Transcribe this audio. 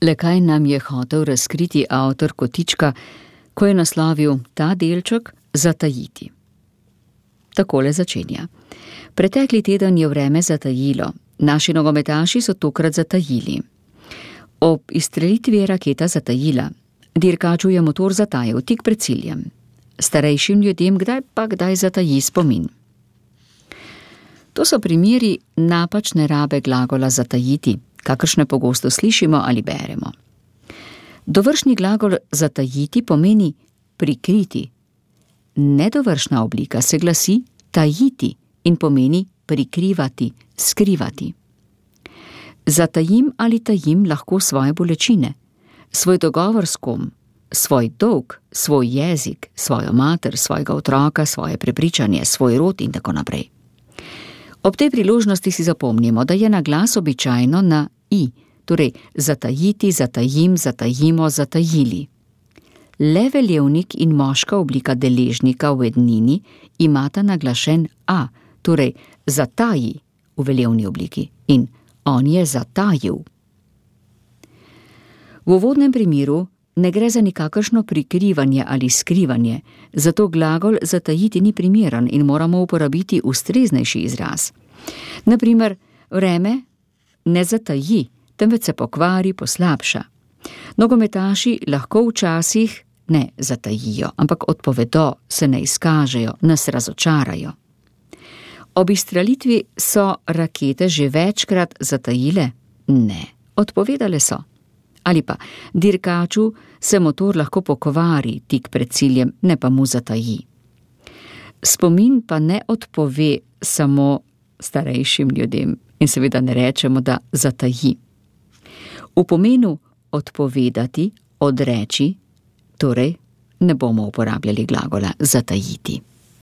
Le kaj nam je hotel razkriti avtor kotička, ko je naslovil ta delček zatajiti? Takole začenja. Pretekli teden je vreme zatajilo. Naši nogometaši so tokrat zatajili. Ob izstrelitvi je raketa zatajila. Dirkaču je motor zatajal tik pred ciljem. Starejšim ljudem kdaj zataji spomin. To so primeri napačne rabe glagola zatajiti, kakršne pogosto slišimo ali beremo. Dovršni glagol zatajiti pomeni prikriti. Nedovršna oblika se glasi tajiti in pomeni prikrivati, skrivati. Zatajim ali tajim lahko svoje bolečine, svoj dogovor s kom, svoj dolg, svoj jezik, svojo mater, svojega otroka, svoje prepričanje, svoj rod in tako naprej. Ob tej priložnosti si zapomnimo, da je na glas običajno na i, torej zatajiti, zatajim, zatajimo, zatajili. Le veljevnik in moška oblika deležnika v ednini imata naglašen a, torej zataji v veljevni obliki in on je zatajil. V uvodnem primeru ne gre za nikakršno prikrivanje ali skrivanje, zato glagol zatajiti ni primeren in moramo uporabiti ustreznejši izraz. Na primer, vreme ne zataji, temveč se pokvari, poslabša. Nogometaši lahko včasih ne zatajijo, ampak odpovedo, se ne izkažejo, nas razočarajo. Ob izstrelitvi so rakete že večkrat zatajile? Ne, odpovedale so. Ali pa dirkaču se motor lahko pokvari tik pred ciljem, ne pa mu zataji. Spomin pa ne odpove samo starejšim ljudem in seveda ne rečemo, da zataji. V pomenu odpovedati, odreči, torej ne bomo uporabljali glagola zatajiti.